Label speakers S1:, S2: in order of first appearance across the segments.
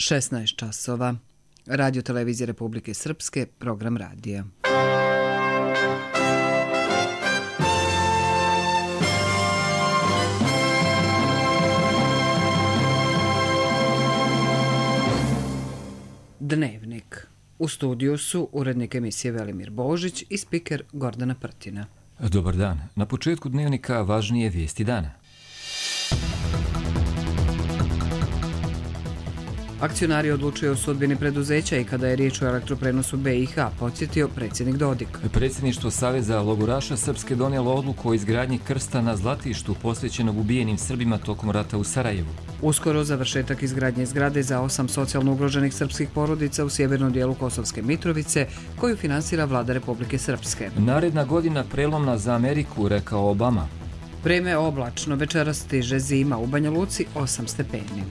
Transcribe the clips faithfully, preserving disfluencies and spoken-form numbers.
S1: šesnaest časova. Radio Televizije Republike Srpske, program radija. Dnevnik. U studiju su urednik emisije Velimir Božić i spiker Gordana Prtina.
S2: Dobar dan. Na početku dnevnika važnije vijesti dana.
S1: Akcionari odlučuju o sudbini preduzeća i kada je riječ o elektroprenosu B i H, podsjetio predsjednik Dodik.
S2: Predsjedništvo Saveza logoraša Srpske donijelo odluku o izgradnji krsta na Zlatištu posvećenog ubijenim Srbima tokom rata u Sarajevu.
S1: Uskoro završetak izgradnje zgrade za osam socijalno ugroženih srpskih porodica u sjevernom dijelu Kosovske Mitrovice, koju finansira vlada Republike Srpske.
S2: Naredna godina prelomna za Ameriku, rekao Obama.
S1: Vreme oblačno, večeras stiže zima, u Banja Luci osam stepeni.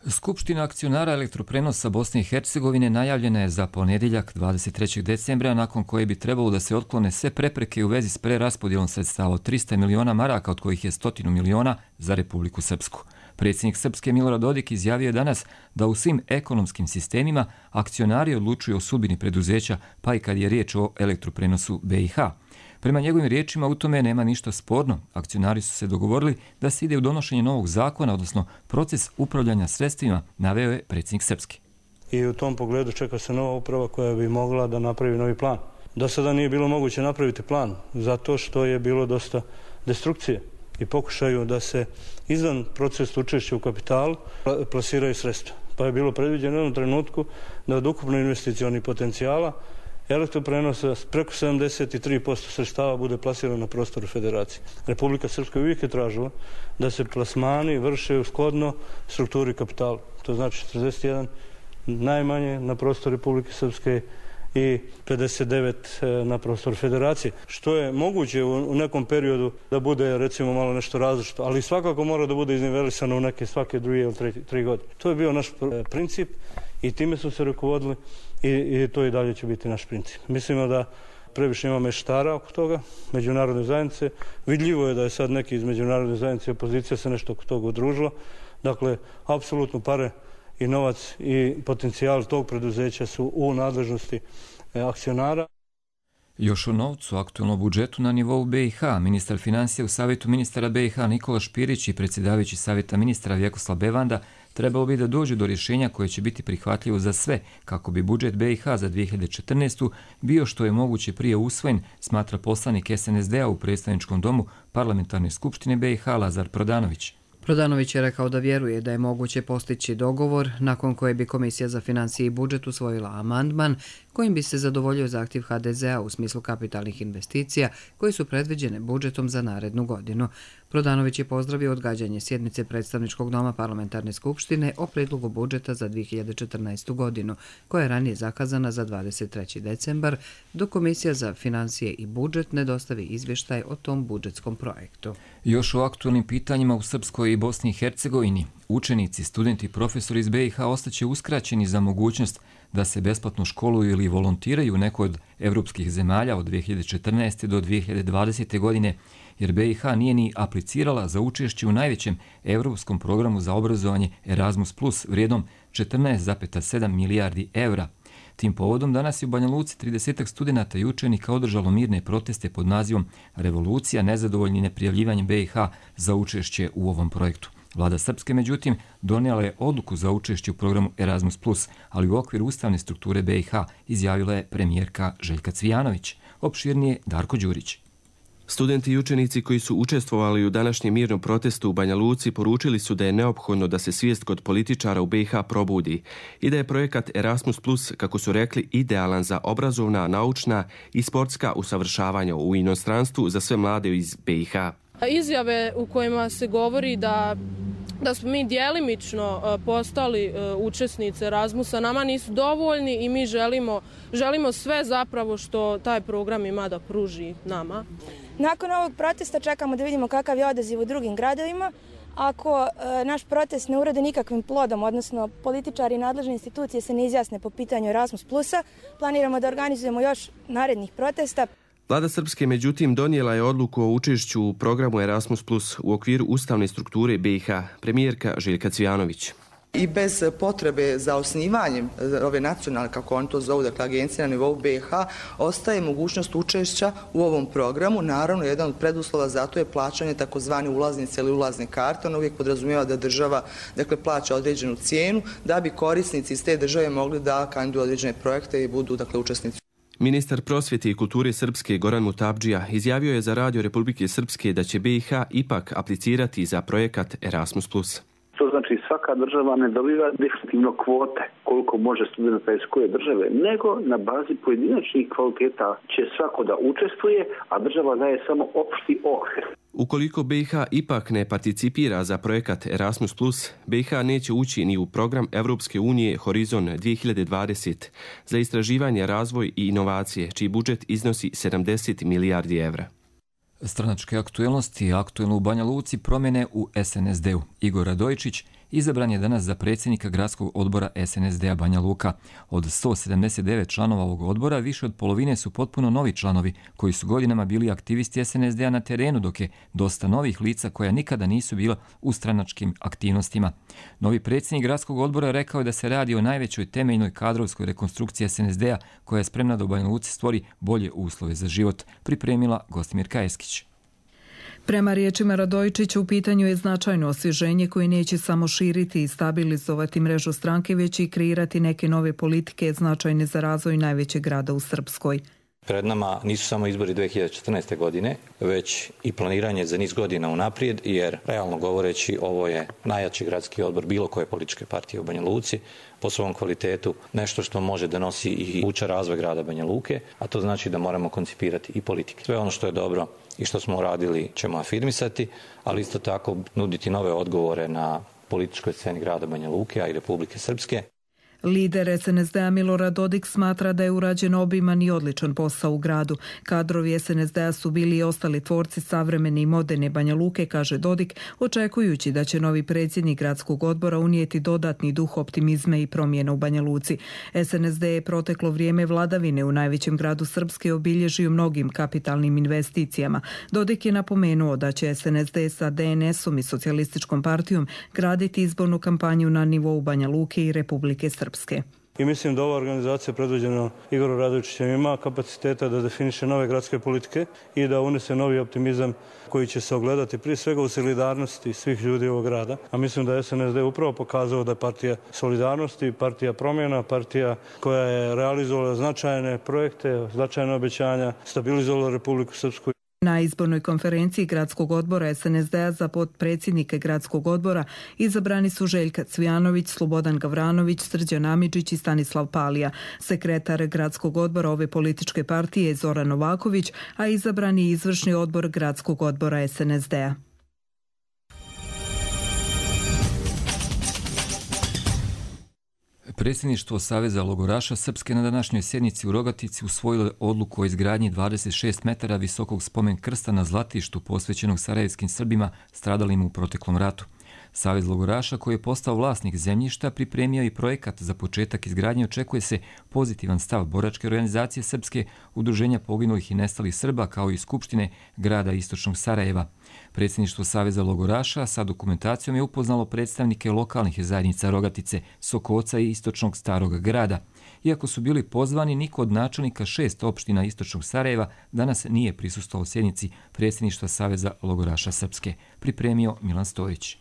S2: Skupština akcionara elektroprenosa Bosne i Hercegovine najavljena je za ponedjeljak dvadeset trećeg decembra, nakon koje bi trebalo da se otklone sve prepreke u vezi s preraspodjelom sredstava od trista miliona maraka, od kojih je stotinu miliona za Republiku Srpsku. Predsjednik Srpske Milorad Dodik izjavio je danas da u svim ekonomskim sistemima akcionari odlučuju o sudbini preduzeća, pa i kad je riječ o elektroprenosu B i H. Prema njegovim riječima u tome nema ništa sporno. Akcionari su se dogovorili da se ide u donošenje novog zakona, odnosno proces upravljanja sredstvima, naveo je predsjednik Srpske.
S3: I u tom pogledu čeka se nova uprava koja bi mogla da napravi novi plan. Do sada nije bilo moguće napraviti plan, zato što je bilo dosta destrukcije i pokušaju da se izvan procesa učešća u kapitalu plasiraju sredstva. Pa je bilo predviđeno u jednom trenutku da od ukupno investicionih potencijala elektroprenosa preko sedamdeset tri posto sredstava bude plasirano na prostoru federacije. Republika Srpska uvijek je tražila da se plasmani vrše u shodno strukturi kapitala. To znači četrdeset jedan najmanje na prostoru Republike Srpske i pedeset devet na prostoru federacije. Što je moguće u nekom periodu da bude recimo malo nešto različito, ali svakako mora da bude iznivelisano u neke svake druge ili tri, tri godine. To je bio naš princip i time su se rukovodili i, i to i dalje će biti naš princip. Mislimo da previše ima meštara oko toga, međunarodne zajednice. Vidljivo je da je sad neki iz međunarodne zajednice i opozicija se nešto oko toga udružila. Dakle, apsolutno pare i novac i potencijal tog preduzeća su u nadležnosti akcionara.
S2: Još o novcu, aktualnom budžetu na nivou B i H, ministar financija u Savjetu ministara B i H Nikola Špirić i predsjedavajući Savjeta ministra Vjekoslav Bevanda trebalo bi da dođu do rješenja koje će biti prihvatljivo za sve, kako bi budžet B i H za dvije hiljade četrnaestu. bio što je moguće prije usvojen, smatra poslanik S N S D-a u predstavničkom domu Parlamentarne skupštine B i H Lazar Prodanović.
S1: Prodanović je rekao da vjeruje da je moguće postići dogovor nakon koje bi Komisija za financije i budžet usvojila amandman kojim bi se zadovoljio zahtjev H D Z-a u smislu kapitalnih investicija koje su predviđene budžetom za narednu godinu. Prodanović je pozdravio odgađanje sjednice predstavničkog doma Parlamentarne skupštine o predlogu budžeta za dvije hiljade četrnaestu. godinu, koja je ranije zakazana za dvadeset treći decembar, dok Komisija za financije i budžet ne dostavi izvještaj o tom budžetskom projektu.
S2: Još o aktualnim pitanjima u Srpskoj i Bosni i Hercegovini. Učenici, studenti i profesori iz B i H ostaće uskraćeni za mogućnost da se besplatno školuju ili volontiraju u nekoj od evropskih zemalja od dvije hiljade četrnaeste. do dvije hiljade dvadesete. godine, jer B i H nije ni aplicirala za učešće u najvećem evropskom programu za obrazovanje Erasmus plus vrijednom četrnaest zarez sedam milijardi evra. Tim povodom danas je u Banja Luci tridesetak studenata i učenika održalo mirne proteste pod nazivom Revolucija nezadovoljni neprijavljivanjem B i H za učešće u ovom projektu. Vlada Srpske, međutim, donijela je odluku za učešće u programu Erasmus plus, ali u okviru ustavne strukture B i H, izjavila je premijerka Željka Cvijanović. Opširnije Darko Đurić.
S4: Studenti i učenici koji su učestvovali u današnjem mirnom protestu u Banja Luci poručili su da je neophodno da se svijest kod političara u B i H probudi i da je projekat Erasmus plus, kako su rekli, idealan za obrazovna, naučna i sportska usavršavanja u inostranstvu za sve mlade iz B i H.
S5: Izjave u kojima se govori da da smo mi djelimično postali učesnice Erasmusa nama nisu dovoljni i mi želimo, želimo sve zapravo što taj program ima da pruži nama.
S6: Nakon ovog protesta čekamo da vidimo kakav je odaziv u drugim gradovima. Ako e, naš protest ne urode nikakvim plodom, odnosno političari i nadležne institucije se ne izjasne po pitanju Erasmus plusa, planiramo da organizujemo još narednih protesta.
S4: Vlada Srpske, međutim, donijela je odluku o učešću u programu Erasmus plus u okviru ustavne strukture B i H. Premijerka Željka Cvijanović.
S7: I bez potrebe za osnivanjem ove nacionalne, kako oni to zovu, dakle agencije na nivou B i H, ostaje mogućnost učešća u ovom programu. Naravno, jedan od preduslova za to je plaćanje takozvane ulaznice ili ulazne karte. Ono uvijek podrazumijeva da država, dakle, plaća određenu cijenu da bi korisnici iz te države mogli da kandiduju određene projekte i budu, dakle, učesnici.
S4: Ministar prosvjete i kulture Srpske Goran Mutabdžija izjavio je za Radio Republike Srpske da će B i H ipak aplicirati za projekat Erasmus plus.
S8: To znači svaka država ne dobiva definitivno kvote koliko može studenta iz koje države, nego na bazi pojedinačnih kvaliteta će svako da učestvuje, a država daje samo opšti okvir.
S4: Ukoliko B i H ipak ne participira za projekat Erasmus plus, B i H neće ući ni u program Evropske unije Horizon dvije hiljade dvadeset za istraživanje, razvoj i inovacije, čiji budžet iznosi sedamdeset milijardi evra.
S2: Stranačke aktuelnosti, aktuelno u Banja Luci, promjene u S N S D-u. Igor Radojičić izabran je danas za predsjednika gradskog odbora S N S D-a Banja Luka. Od sto sedamdeset devet članova ovog odbora, više od polovine su potpuno novi članovi koji su godinama bili aktivisti S N S D-a na terenu, dok je dosta novih lica koja nikada nisu bila u stranačkim aktivnostima. Novi predsjednik gradskog odbora rekao je da se radi o najvećoj temeljnoj kadrovskoj rekonstrukciji S N S D-a koja je spremna da u Banja Luci stvori bolje uslove za život, pripremila Gostimirka Eskić.
S9: Prema riječima Radojičića, u pitanju je značajno osvježenje koje neće samo širiti i stabilizovati mrežu stranke, već i kreirati neke nove politike značajne za razvoj najvećeg grada u Srpskoj.
S10: Pred nama nisu samo izbori dvije hiljade četrnaeste. godine, već i planiranje za niz godina unaprijed, jer realno govoreći ovo je najjači gradski odbor bilo koje političke partije u Banja Luci, po svom kvalitetu, nešto što može da nosi i uča razvoj grada Banja Luke, a to znači da moramo koncipirati i politike. Sve ono što je dobro i što smo uradili ćemo afirmisati, ali isto tako nuditi nove odgovore na političkoj sceni grada Banja Luke, a i Republike Srpske.
S9: Lider S N S D-a Milorad Dodik smatra da je urađen obiman i odličan posao u gradu. Kadrovi S N S D-a su bili i ostali tvorci savremene i moderne Banja Luke, kaže Dodik, očekujući da će novi predsjednik gradskog odbora unijeti dodatni duh optimizma i promjena u Banja Luci. S N S D je proteklo vrijeme vladavine u najvećem gradu Srpske obilježio mnogim kapitalnim investicijama. Dodik je napomenuo da će S N S D sa D N S-om i socijalističkom partijom graditi izbornu kampanju na nivou Banja Luke i Republike Srpske.
S3: I mislim da ova organizacija predvođena Igorom Radojičićem ima kapaciteta da definiše nove gradske politike i da unese novi optimizam koji će se ogledati prije svega u solidarnosti svih ljudi ovog grada. A mislim da je S N S D upravo pokazao da je partija solidarnosti, partija promjena, partija koja je realizovala značajne projekte, značajne obećanja, stabilizovala Republiku Srpsku.
S9: Na izbornoj konferenciji gradskog odbora S N S D-a za potpredsjednike gradskog odbora izabrani su Željka Cvijanović, Slobodan Gavranović, Srđan Amidžić i Stanislav Palija. Sekretar gradskog odbora ove političke partije je Zoran Novaković, a izabrani je izvršni odbor gradskog odbora S N S D-a.
S2: Predsjedništvo Saveza logoraša Srpske na današnjoj sjednici u Rogatici usvojilo odluku o izgradnji dvadeset šest metara visokog spomen krsta na Zlatištu posvećenog sarajevskim Srbima stradalim u proteklom ratu. Savez logoraša, koji je postao vlasnik zemljišta, pripremio i projekat za početak izgradnje. Očekuje se pozitivan stav boračke organizacije Srpske, udruženja poginulih i nestalih Srba, kao i Skupštine grada Istočnog Sarajeva. Predsjedništvo Saveza logoraša sa dokumentacijom je upoznalo predstavnike lokalnih zajednica Rogatice, Sokoca i Istočnog Starog grada. Iako su bili pozvani, niko od načelnika šest opština Istočnog Sarajeva danas nije prisustvovao sjednici predsjedništva Saveza logoraša Srpske, pripremio Milan Stojić.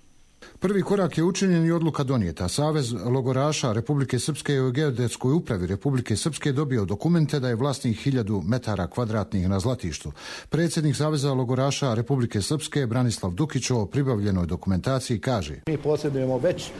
S11: Prvi korak je učinjen i odluka donijeta. Savez logoraša Republike Srpske u Geodetskoj upravi Republike Srpske dobio dokumente da je vlasnik hiljadu metara kvadratnih na Zlatištu. Predsjednik Saveza logoraša Republike Srpske Branislav Dukić o pribavljenoj dokumentaciji kaže:
S12: Mi posjedujemo već e,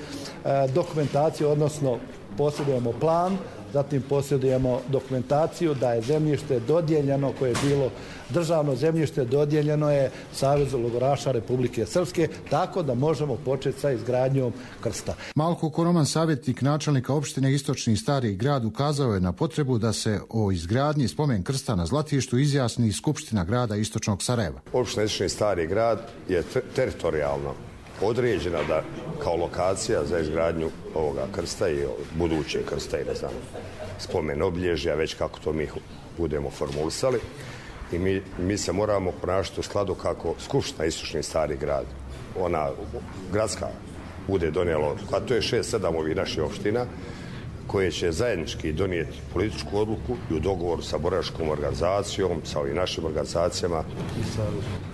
S12: dokumentaciju, odnosno posjedujemo plan, zatim posjedujemo dokumentaciju da je zemljište dodijeljeno, koje je bilo državno zemljište, dodijeljeno je Savezu logoraša Republike Srpske, tako da možemo početi sa izgradnjom krsta.
S11: Malko Koroman, savjetnik načelnika opštine Istočni Stari grad, ukazao je na potrebu da se o izgradnji spomen krsta na Zlatištu izjasni Skupština grada Istočnog Sarajeva.
S13: Opština Istočni Stari grad je teritorijalno određena da kao lokacija za izgradnju ovoga krsta i budućeg krsta i ne znam, spomen obilježja, već kako to mi budemo formulisali. i mi, mi se moramo ponašati u skladu kako Skupština Istočni Stari Grad, ona gradska, bude donijelo, a to je šest sedam ovih naših opština, koje će zajednički donijeti političku odluku i u dogovoru sa boračkom organizacijom, sa ovim našim organizacijama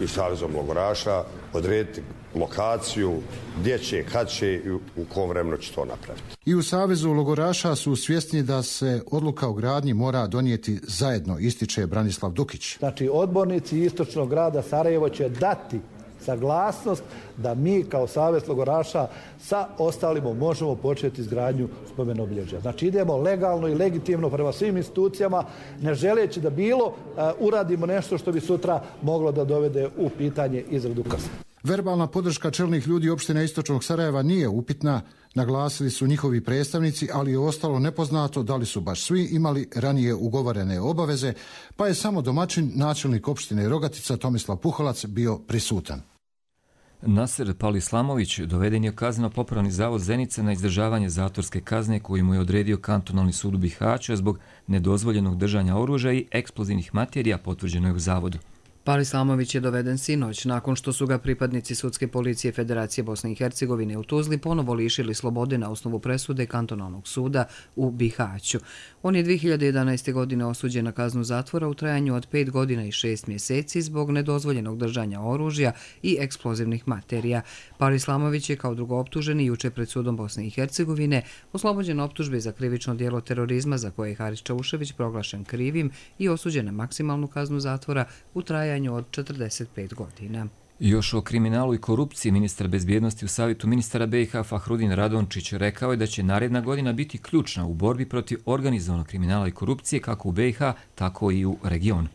S13: i Savezom logoraša odrediti lokaciju, gdje će, kad će i u kom vremenu će to napraviti.
S11: I u Savezu logoraša su svjesni da se odluka o gradnji mora donijeti zajedno, ističe Branislav Dukić.
S12: Znači, odbornici Istočnog grada Sarajevo će dati saglasnost da mi kao Savez logoraša sa ostalima možemo početi izgradnju spomen obilježja. Znači idemo legalno i legitimno prema svim institucijama, ne želeći da bilo uh, uradimo nešto što bi sutra moglo da dovede u pitanje izradu kasa.
S11: Verbalna podrška čelnih ljudi opštine Istočnog Sarajeva nije upitna, naglasili su njihovi predstavnici, ali je ostalo nepoznato da li su baš svi imali ranije ugovorene obaveze, pa je samo domaćin, načelnik opštine Rogatica Tomislav Puholac bio prisutan.
S2: Naser Palislamović doveden je u kazneno-popravni zavod Zenica na izdržavanje zatvorske kazne koju mu je odredio kantonalni sud u Bihaću zbog nedozvoljenog držanja oružja i eksplozivnih materija, potvrđeno je u zavodu.
S1: Palislamović je doveden sinoć nakon što su ga pripadnici Sudske policije Federacije Bosne i Hercegovine u Tuzli ponovo lišili slobode na osnovu presude kantonalnog suda u Bihaću. On je dvije hiljade jedanaeste. godine osuđen na kaznu zatvora u trajanju od pet godina i šest mjeseci zbog nedozvoljenog držanja oružja i eksplozivnih materija. Palislamović je kao drugooptuženi juče pred sudom Bosne i Hercegovine oslobođen optužbe za krivično djelo terorizma za koje je Haris Čaušević proglašen krivim i osuđen na maksimalnu kaznu zatvora u trajanju od četrdeset pet godina.
S2: Još o kriminalu i korupciji ministar bezbjednosti u Savjetu ministara B i H Fahrudin Radončić rekao je da će naredna godina biti ključna u borbi protiv organizovanog kriminala i korupcije kako u B i H, tako i u regionu.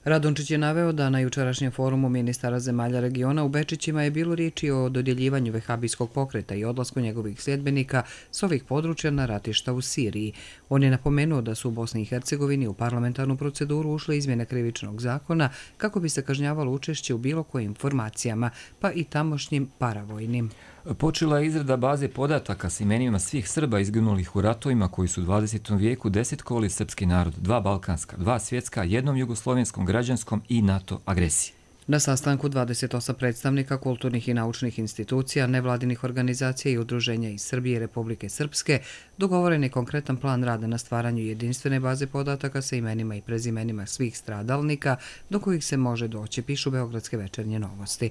S1: Radončić je naveo da na jučerašnjem forumu ministara zemalja regiona u Bečićima je bilo riječi o dodjeljivanju vehabijskog pokreta i odlasku njegovih sljedbenika s ovih područja na ratišta u Siriji. On je napomenuo da su u Bosni i Hercegovini u parlamentarnu proceduru ušle izmjene krivičnog zakona kako bi se kažnjavalo učešće u bilo kojim formacijama, pa i tamošnjim paravojnim.
S2: Počela je izrada baze podataka s imenima svih Srba izginulih u ratovima koji su u dvadesetom vijeku desetkovali srpski narod, dva balkanska, dva svjetska, jednom jugoslovenskom, građanskom i NATO agresiji.
S1: Na sastanku dvadeset osam predstavnika kulturnih i naučnih institucija, nevladinih organizacija i udruženja iz Srbije i Republike Srpske dogovoren je konkretan plan rada na stvaranju jedinstvene baze podataka sa imenima i prezimenima svih stradalnika do kojih se može doći, pišu Beogradske večernje novosti.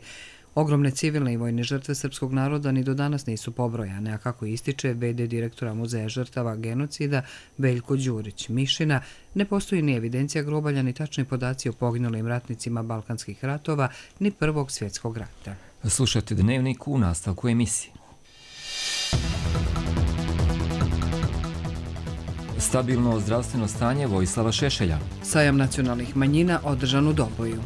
S1: Ogromne civilne i vojne žrtve srpskog naroda ni do danas nisu pobrojane, a kako ističe ve de direktora Muzeja žrtava genocida Veljko Đurić Mišina, ne postoji ni evidencija grobalja ni tačni podaci o poginulim ratnicima balkanskih ratova ni Prvog svjetskog rata.
S2: Slušajte Dnevnik u nastavku emisije. Stabilno zdravstveno stanje Vojislava Šešelja.
S1: Sajam nacionalnih manjina održan u Doboju.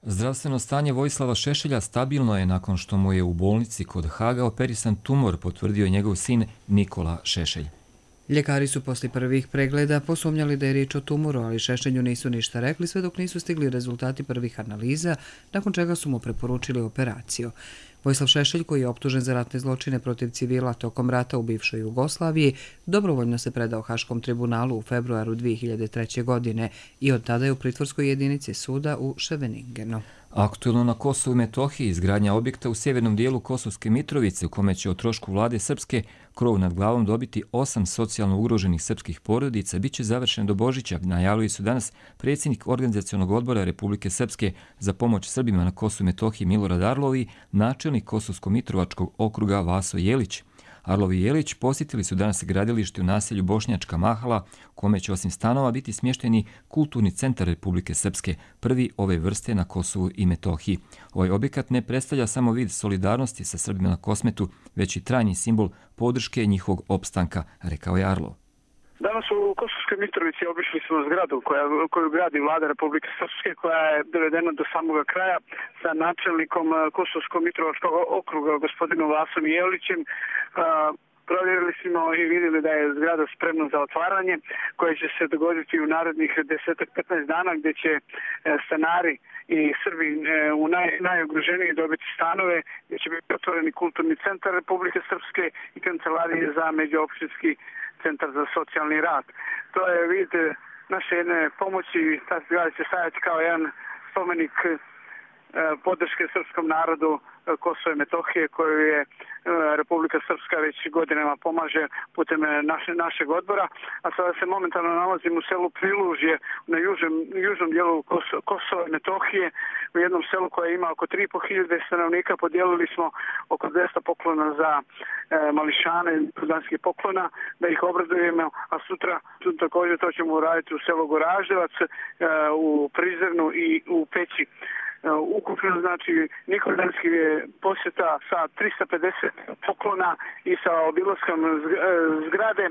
S2: Zdravstveno stanje Vojislava Šešelja stabilno je nakon što mu je u bolnici kod Haga operisan tumor, potvrdio njegov sin Nikola Šešelj.
S1: Ljekari su posle prvih pregleda posumnjali da je riječ o tumoru, ali Šešelju nisu ništa rekli sve dok nisu stigli rezultati prvih analiza, nakon čega su mu preporučili operaciju. Vojislav Šešelj, koji je optužen za ratne zločine protiv civila tokom rata u bivšoj Jugoslaviji, dobrovoljno se predao Haškom tribunalu u februaru dvije hiljade treće. godine i od tada je u pritvorskoj jedinici suda u Ševeningenu.
S2: Aktuelno na Kosovu i Metohiji izgradnja objekta u sjevernom dijelu Kosovske Mitrovice u kome će o trošku vlade Srpske krov nad glavom dobiti osam socijalno ugroženih srpskih porodica biće završen do Božića, najavili su danas predsjednik Organizacionog odbora Republike Srpske za pomoć Srbima na Kosovu i Metohiji Milorad Arlov i načelnik Kosovsko-Mitrovačkog okruga Vaso Jelić. Arlov i Jelić posjetili su danas gradilište u naselju Bošnjačka Mahala, u kome će osim stanova biti smješteni kulturni centar Republike Srpske, prvi ove vrste na Kosovu i Metohiji. Ovaj objekat ne predstavlja samo vid solidarnosti sa Srbima na Kosmetu, već i trajni simbol podrške njihovog opstanka, rekao je Arlov.
S14: Danas u Kosovskoj Mitrovici obišli smo zgradu koja, koju gradi vlada Republike Srpske, koja je dovedena do samoga kraja sa načelnikom Kosovsko-Mitrovačkog okruga gospodinom Vasom Jelićem. Provjerili smo i vidjeli da je zgrada spremna za otvaranje koje će se dogoditi u narednih deset do petnaest dana, gdje će stanari i Srbi u naj, najugroženiji dobiti stanove, gdje će biti otvoreni kulturni centar Republike Srpske i kancelarije za međuopštinski centar za socijalni rad. To je vid naše jedne pomoći, ta zgrada će staviti kao jedan spomenik podrške srpskom narodu Kosova i Metohije koju je Republika Srpska već godinama pomaže putem naše, našeg odbora, a sada se momentalno nalazim u selu Prilužje na južnom, južnom dijelu Kosova i Metohije, u jednom selu koje ima oko tri i po hiljade stanovnika. Podijelili smo oko dvesta poklona za e, mališane, danskih poklona, da ih obradujemo, a sutra također to ćemo uraditi u selu Goraževac, e, u Prizrenu i u Peći. Ukupno, znači, Nikoldanski je posjeta sa trista pedeset poklona i sa obilaskom zgrade,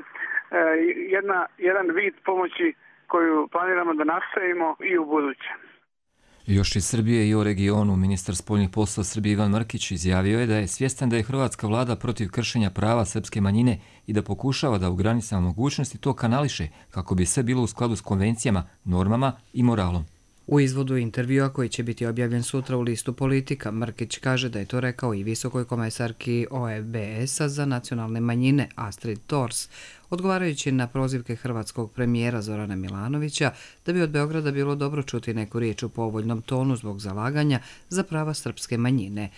S14: jedna, jedan vid pomoći koju planiramo da nastavimo i u buduće.
S2: Još iz Srbije i o regionu, ministar spoljnih poslova Srbije Ivan Mrkić izjavio je da je svjestan da je hrvatska vlada protiv kršenja prava srpske manjine i da pokušava da u granicama mogućnosti to kanališe kako bi sve bilo u skladu s konvencijama, normama i moralom.
S1: U izvodu intervjua koji će biti objavljen sutra u listu Politika, Mrkić kaže da je to rekao i visokoj komesarki O E B S-a za nacionalne manjine Astrid Thors, odgovarajući na prozivke hrvatskog premijera Zorana Milanovića da bi od Beograda bilo dobro čuti neku riječ u povoljnom tonu zbog zalaganja za prava srpske manjine.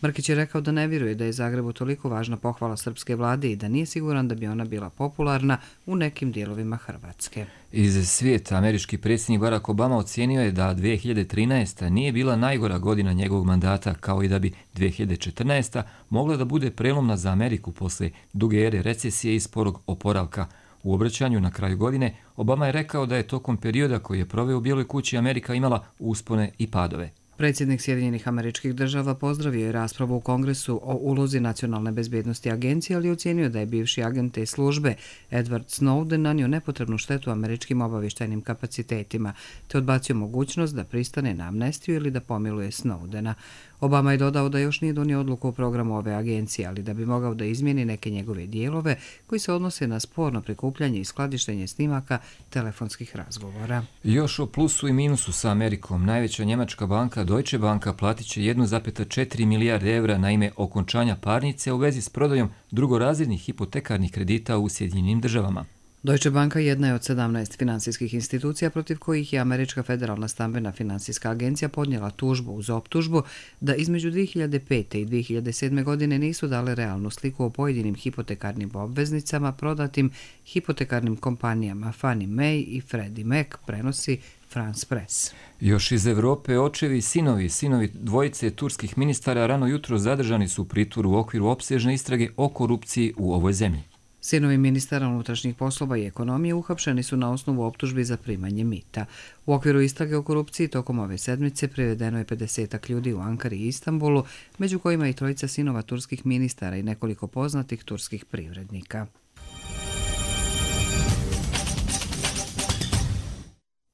S1: Mrkić je rekao da ne vjeruje da je Zagrebu toliko važna pohvala srpske vlade i da nije siguran da bi ona bila popularna u nekim dijelovima Hrvatske.
S2: Iz svijeta američki predsjednik Barack Obama ocijenio je da dvije hiljade trinaesta nije bila najgora godina njegovog mandata, kao i da bi dvije hiljade četrnaesta mogla da bude prelomna za Ameriku posle duge ere recesije i sporog oporavka. U obraćanju na kraju godine Obama je rekao da je tokom perioda koji je proveo u Bijeloj kući Amerika imala uspone i padove.
S1: Predsjednik Sjedinjenih Američkih Država pozdravio je raspravu u Kongresu o ulozi Nacionalne bezbednosti agencije, ali ocijenio da je bivši agent te službe Edward Snowden nanio nepotrebnu štetu američkim obavještajnim kapacitetima, te odbacio mogućnost da pristane na amnestiju ili da pomiluje Snowdena. Obama je dodao da još nije donio odluku o programu ove agencije, ali da bi mogao da izmijeni neke njegove dijelove koji se odnose na sporno prikupljanje i skladištenje snimaka telefonskih razgovora.
S2: Još o plusu i minusu sa Amerikom. Najveća njemačka banka Deutsche Banka platit će jedna zarez četiri milijarde evra na ime okončanja parnice u vezi s prodajom drugorazrednih hipotekarnih kredita u Sjedinjenim Državama.
S1: Deutsche Banka jedna je od sedamnaest finansijskih institucija protiv kojih je Američka federalna stambena finansijska agencija podnijela tužbu uz optužbu da između dvije hiljade pete i dvije hiljade sedme. godine nisu dale realnu sliku o pojedinim hipotekarnim obveznicama prodatim hipotekarnim kompanijama Fannie Mae i Freddie Mac, prenosi France Press.
S2: Još iz Evrope očevi i sinovi, sinovi dvojice turskih ministara rano jutro zadržani su u pritvoru u okviru opsežne istrage o korupciji u ovoj zemlji.
S1: Sinovi ministara unutrašnjih poslova i ekonomije uhapšeni su na osnovu optužbi za primanje mita. U okviru istrage o korupciji tokom ove sedmice privedeno je pedesetak ljudi u Ankari i Istanbulu, među kojima i trojica sinova turskih ministara i nekoliko poznatih turskih privrednika.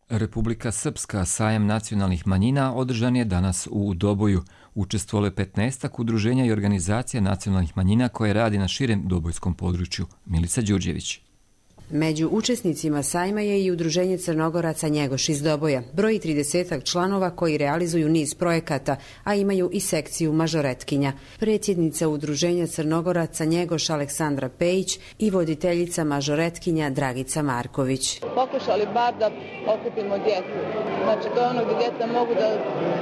S2: Republika Srpska, sajam nacionalnih manjina, održan je danas u Doboju. Učestvovalo je petnaestak udruženja i organizacija nacionalnih manjina koje radi na širem dobojskom području. Milica Đurđević.
S15: Među učesnicima sajma je i udruženje Crnogoraca Njegoš iz Doboja. Broji tridesetak članova koji realizuju niz projekata, a imaju i sekciju mažoretkinja. Predsjednica udruženja Crnogoraca Njegoš Aleksandra Pejić i voditeljica mažoretkinja Dragica Marković.
S16: Pokušali bar da okupimo djecu. Znači to je ono gdje djeca mogu da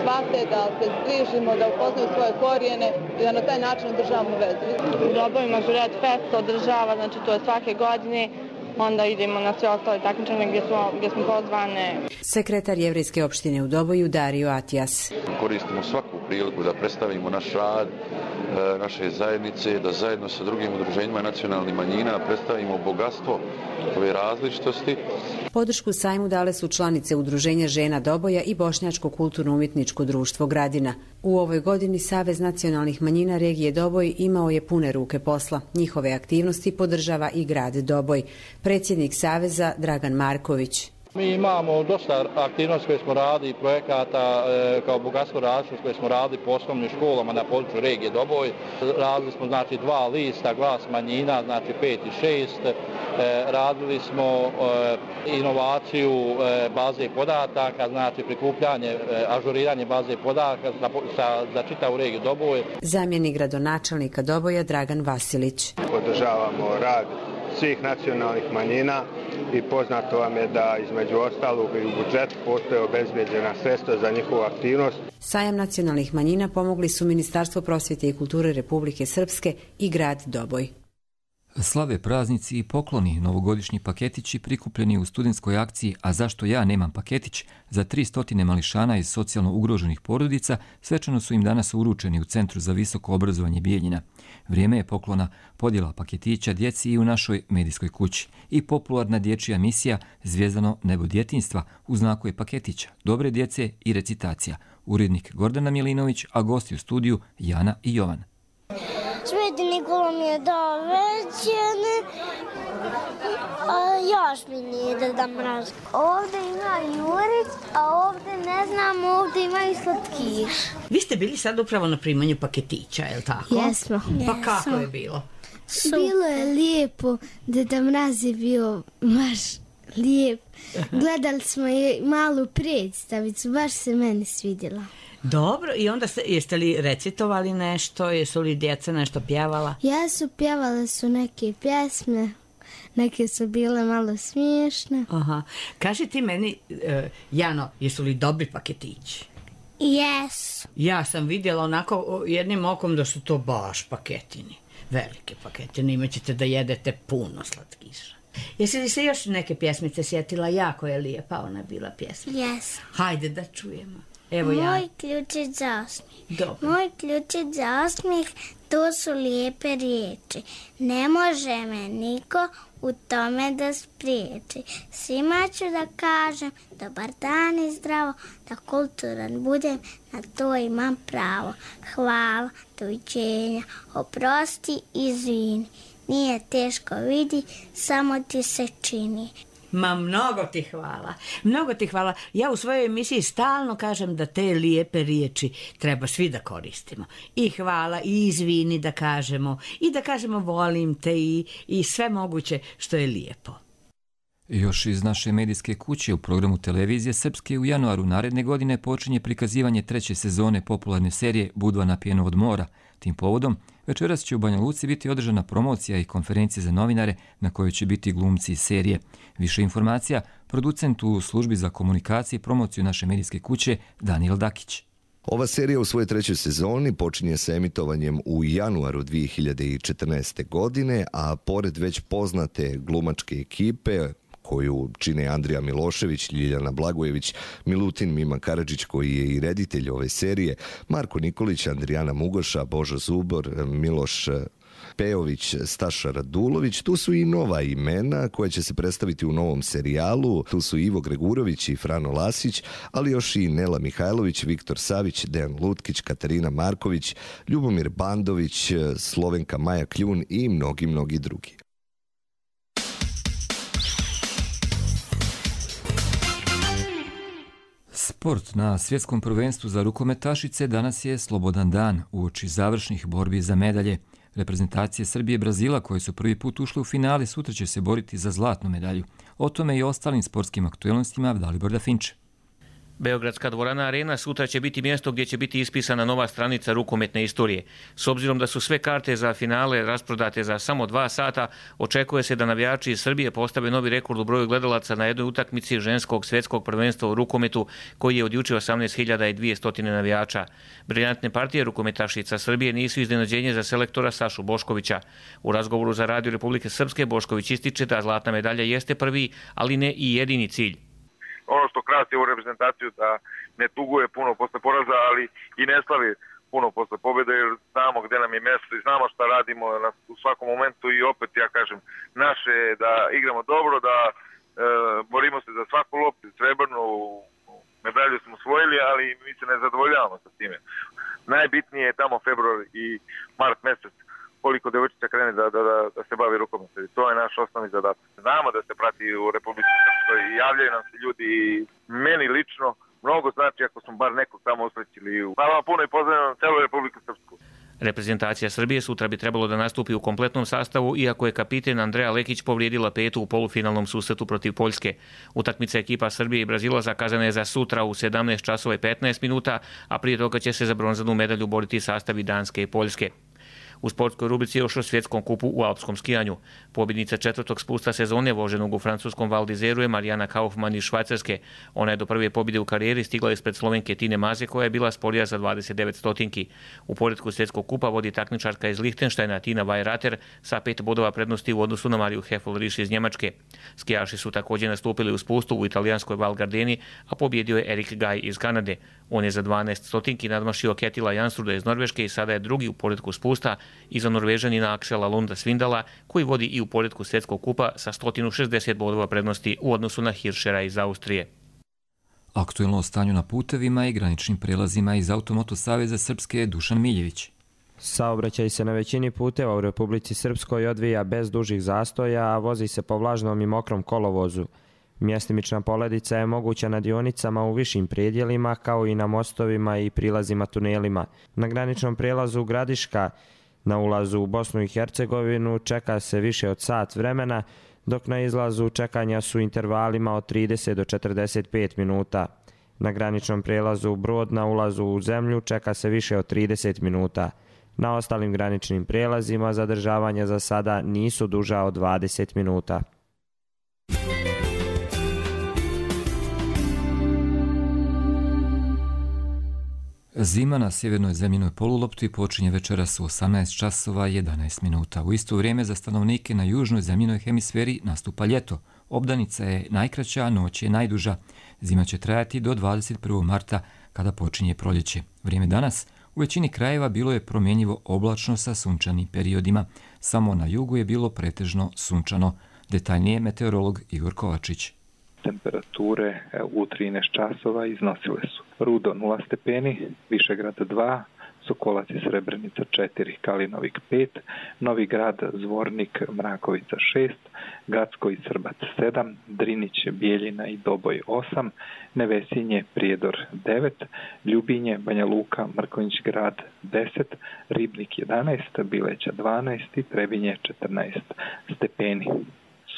S16: shvate, da se zbližimo, da upoznaju svoje korijene i da na taj način održavamo vezu.
S17: U Doboju mažoret fest održava, znači to je svake godine. Onda idemo na sve ostale takmičenja gdje smo, gdje smo pozvane.
S15: Sekretar Jevrejske opštine u Doboju Dario Atijas.
S18: Koristimo svaku priliku da predstavimo naš rad, naše zajednice, da zajedno sa drugim udruženjima nacionalnih manjina predstavimo bogatstvo ove različitosti.
S15: Podršku sajmu dale su članice Udruženja žena Doboja i Bošnjačko kulturno-umjetničko društvo Gradina. U ovoj godini Savez nacionalnih manjina regije Doboj imao je pune ruke posla. Njihove aktivnosti podržava i grad Doboj. Predsjednik Saveza Dragan Marković.
S19: Mi imamo dosta aktivnosti koje smo radili, projekata e, kao bogatstvo različitosti koje smo radili po osnovnim školama na području regije Doboj. Radili smo znači dva lista, glas manjina, znači pet i šest. E, radili smo e, inovaciju e, baze podataka, znači prikupljanje, e, ažuriranje baze podataka za, za, za čitavu regiju Doboj.
S15: Zamjenik gradonačelnika Doboja Dragan Vasilić.
S20: Podržavamo rad svih nacionalnih manjina i poznato vam je da između ostalog i u budžetu postoje obezbeđena sredstva za njihovu aktivnost.
S15: Sajam nacionalnih manjina pomogli su Ministarstvo prosvjete i kulture Republike Srpske i grad Doboj.
S2: Slave praznici i pokloni, novogodišnji paketići prikupljeni u studentskoj akciji A zašto ja nemam paketić za tri stotine mališana iz socijalno ugroženih porodica svečano su im danas uručeni u Centru za visoko obrazovanje Bijeljina. Vrijeme je poklona, podjela paketića djeci i u našoj medijskoj kući i popularna dječja emisija Zvijezdano nebo djetinjstva u znaku je paketića, dobre djece i recitacija. Urednik Gordana Milinović, a gosti u studiju Jana i Jovan.
S21: Sveti Nikola mi je dao većene, a još mi nije Deda Mraz. Ovde ima Jurić, a ovde ne znam, ovde ima i slatkiš.
S22: Vi ste bili sad upravo na primanju paketića, je li tako?
S21: Jesmo.
S22: Pa kako je bilo?
S21: Bilo je lijepo, Deda Mraz je bio baš lijep. Gledali smo i malu predstavicu, baš se meni svidjela.
S22: Dobro, i onda ste, jeste li recitovali nešto, jesu li djeca nešto pjevala?
S21: Jesu, pjevale su neke pjesme, neke su bile malo smiješne.
S22: Aha. Kaži ti meni, uh, Jano, jesu li dobri paketići?
S21: Jesu.
S22: Ja sam vidjela onako jednim okom da su to baš paketini, velike paketine, imat ćete da jedete puno slatkiša. Jesi li se još neke pjesmice sjetila? Jako je lijepa ona bila pjesma.
S21: Jesu.
S22: Hajde da čujemo. Evo ja.
S21: Moj ključić za osmijeh.
S22: Dobro.
S21: Moj ključić za osmijeh, to su lijepe riječi. Ne može me niko u tome da spriječi. Svima ću da kažem dobar dan i zdravo, da kulturan budem, na to imam pravo. Hvala, doviđenja, oprosti, izvini. Nije teško vidi, samo ti se čini.
S22: Ma mnogo ti hvala, mnogo ti hvala. Ja u svojoj emisiji stalno kažem da te lijepe riječi treba svi da koristimo. I hvala, i izvini da kažemo, i da kažemo volim te i, i sve moguće što je lijepo.
S2: Još iz naše medijske kuće u programu televizije Srpske u januaru naredne godine počinje prikazivanje treće sezone popularne serije Budva napijeno od mora. Tim povodom, večeras će u Banja Luci biti održana promocija i konferencija za novinare na kojoj će biti glumci iz serije. Više informacija, producent u službi za komunikaciju i promociju naše medijske kuće Daniel Dakić.
S23: Ova serija u svojoj trećoj sezoni počinje sa emitovanjem u januaru dvije hiljade četrnaeste. godine, a pored već poznate glumačke ekipe koju čine Andrija Milošević, Ljiljana Blagojević, Milutin Mima Karadžić koji je i reditelj ove serije, Marko Nikolić, Andrijana Mugoša, Božo Zubor, Miloš Pejović, Staša Radulović. Tu su i nova imena koja će se predstaviti u novom serijalu. Tu su Ivo Gregurović i Frano Lasić, ali još i Nela Mihajlović, Viktor Savić, Dejan Lutkić, Katarina Marković, Ljubomir Bandović, Slovenka Maja Kljun i mnogi, mnogi drugi.
S2: Sport. Na svjetskom prvenstvu za rukometašice danas je slobodan dan uoči završnih borbi za medalje. Reprezentacije Srbije i Brazila koje su prvi put ušle u finale sutra će se boriti za zlatnu medalju. O tome i ostalim sportskim aktuelnostima Dalibor Dafinče.
S24: Beogradska dvorana Arena sutra će biti mjesto gdje će biti ispisana nova stranica rukometne istorije. S obzirom da su sve karte za finale rasprodate za samo dva sata, očekuje se da navijači iz Srbije postave novi rekord u broju gledalaca na jednoj utakmici ženskog svjetskog prvenstva u rukometu koji je od juče osamnaest hiljada dvjesto navijača. Briljantne partije rukometašica Srbije nisu iznenađenje za selektora Sašu Boškovića. U razgovoru za Radio Republike Srpske Bošković ističe da zlatna medalja jeste prvi, ali ne i jedini cilj.
S25: Ono što krasi ovu reprezentaciju da ne tuguje puno posle poraza, ali i ne slavi puno posle pobjede, jer znamo gdje nam je mjesto i znamo šta radimo u svakom momentu i opet ja kažem, naše je da igramo dobro, da e, borimo se za svaku loptu, srebrnu medalju smo osvojili, ali mi se ne zadovoljavamo sa time. Najbitnije je tamo februar i mart mjesec koliko devojčica krene da, da, da se bavi rukometom. To je naš osnovni zadatak. Znamo da se prati u Republici Srpskoj i javljaju nam se ljudi i meni lično mnogo znači ako smo bar nekog tamo usrećili. Hvala vam puno i pozdravljam celu Republiku Srpsku.
S24: Reprezentacija Srbije sutra bi trebalo da nastupi u kompletnom sastavu, iako je kapiten Andreja Lekić povrijedila petu u polufinalnom susretu protiv Poljske. Utakmica ekipa Srbije i Brazila zakazana je za sutra u sedamnaest časova i petnaest minuta, a prije toga će se za bronzanu medalju boriti sastavi Danske i Poljske. U sportskoj rubrici još o svjetskom kupu u alpskom skijanju. Pobjednica četvrtog spusta sezone voženog u francuskom Val d'Izeru je Marijana Kaufmann iz Švajcarske. Ona je do prve pobjede u karijeri stigla ispred Slovenke Tine Maze koja je bila sporija za dvadeset devet stotinki. U poretku svjetskog kupa vodi takmičarka iz Lihtenštajna Tina Weirater sa pet bodova prednosti u odnosu na Mariju Heffel-Risch iz Njemačke. Skijaši su također nastupili u spustu u italijanskoj Val Gardeni, a pobjedio je Erik Gaj iz Kanade. On je za dvanaest stotinki nadmašio Ketila Jansruda iz Norveške i sada je drugi u poretku spusta iza Norvežanina Aksela Lunda Svindala, koji vodi i u poretku svjetskog kupa sa sto šezdeset bodova prednosti u odnosu na Hirschera iz Austrije.
S2: Aktuelno o stanju na putevima i graničnim prelazima iz Automoto saveza Srpske je Dušan Miljević.
S4: Saobraćaj se na većini puteva u Republici Srpskoj odvija bez dužih zastoja, a vozi se po vlažnom i mokrom kolovozu. Mjestimična poledica je moguća na dionicama u višim predjelima, kao i na mostovima i prilazima tunelima. Na graničnom prijelazu Gradiška na ulazu u Bosnu i Hercegovinu čeka se više od sat vremena, dok na izlazu čekanja su intervalima od trideset do četrdeset pet minuta. Na graničnom prijelazu Brod na ulazu u zemlju čeka se više od trideset minuta. Na ostalim graničnim prijelazima zadržavanja za sada nisu duža od dvadeset minuta.
S2: Zima na sjevernoj zemljinoj polulopti počinje večeras u osamnaest časova i jedanaest minuta. U isto vrijeme za stanovnike na južnoj zemljinoj hemisferi nastupa ljeto. Obdanica je najkraća, a noć je najduža. Zima će trajati do dvadeset prvog marta kada počinje proljeće. Vrijeme danas u većini krajeva bilo je promjenjivo oblačno sa sunčanim periodima. Samo na jugu je bilo pretežno sunčano. Detaljnije meteorolog Igor Kovačić.
S5: Temperature u trinaest časova iznosile su Rudo nula stepeni, Višegrad dva, Sokolac i Srebrenica četiri, Kalinovik pet, Novi Grad, Zvornik, Mrakovica šest, Gacko i Srbac sedam, Drinić, Bijeljina i Doboj osam, Nevesinje, Prijedor devet, Ljubinje, Banja Luka, Mrkonjić Grad deset, Ribnik jedanaest, Bileća dvanaest i Trebinje četrnaest stepeni.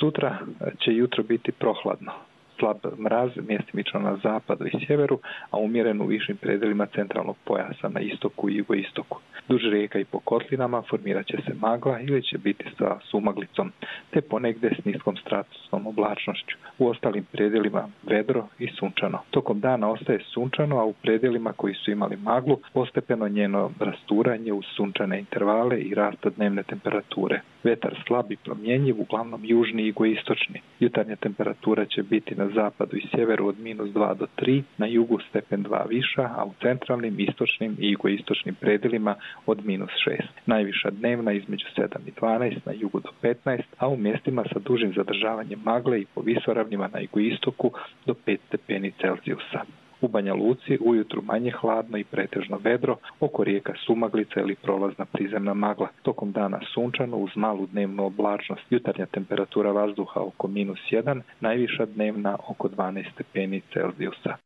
S5: Sutra će jutro biti prohladno. Slab mraz mjestimično na zapadu i sjeveru, a umjeren u višim predelima centralnog pojasa na istoku i jugoistoku. Duž rijeka i po kotlinama formirat će se magla ili će biti sa sumaglicom, te ponegdje s niskom stratusnom oblačnošću. U ostalim predelima vedro i sunčano. Tokom dana ostaje sunčano, a u predelima koji su imali maglu postepeno njeno rasturanje uz sunčane intervale i rasta dnevne temperature. Vetar slab i promjenjiv, uglavnom južni i jugoistočni. Jutarnja temperatura će biti na zapadu i sjeveru od minus dva do tri, na jugu stepen dva viša, a u centralnim, istočnim i jugoistočnim predelima od minus šest. Najviša dnevna između sedam i dvanaest, na jugu do petnaest, a u mjestima sa dužim zadržavanjem magle i po visoravnima na jugoistoku do pet stepeni Celzijusa. U Banja Luci ujutru manje hladno i pretežno vedro, oko rijeka sumaglica ili prolazna prizemna magla. Tokom dana sunčano uz malu dnevnu oblačnost. Jutarnja temperatura vazduha oko minus jedan, najviša dnevna oko dvanaest stepeni Celzijusa.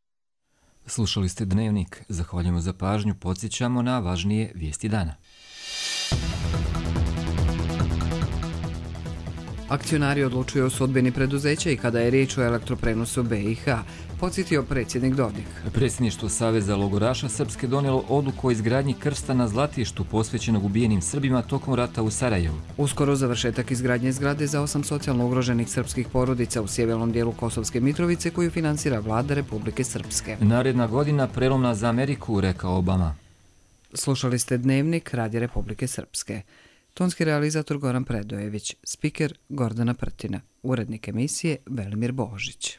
S2: Slušali ste Dnevnik. Zahvaljujemo za pažnju. Podsjećamo na važnije vijesti dana.
S1: Akcionari odlučuju o sudbini preduzeća i kada je riječ o elektroprenosu B i H, podsjetio predsjednik Dodik.
S2: Predsjedništvo Saveza logoraša Srpske donijelo odluku o izgradnji krsta na Zlatištu posvećenog ubijenim Srbima tokom rata u Sarajevu.
S1: Uskoro završetak izgradnje zgrade za osam socijalno ugroženih srpskih porodica u sjevernom dijelu Kosovske Mitrovice koju finansira vlada Republike Srpske.
S2: Naredna godina prelomna za Ameriku, rekao Obama.
S1: Slušali ste Dnevnik Radija Republike Srpske. Tonski realizator Goran Predojević, spiker Gordana Prtina, urednik emisije Velimir Božić.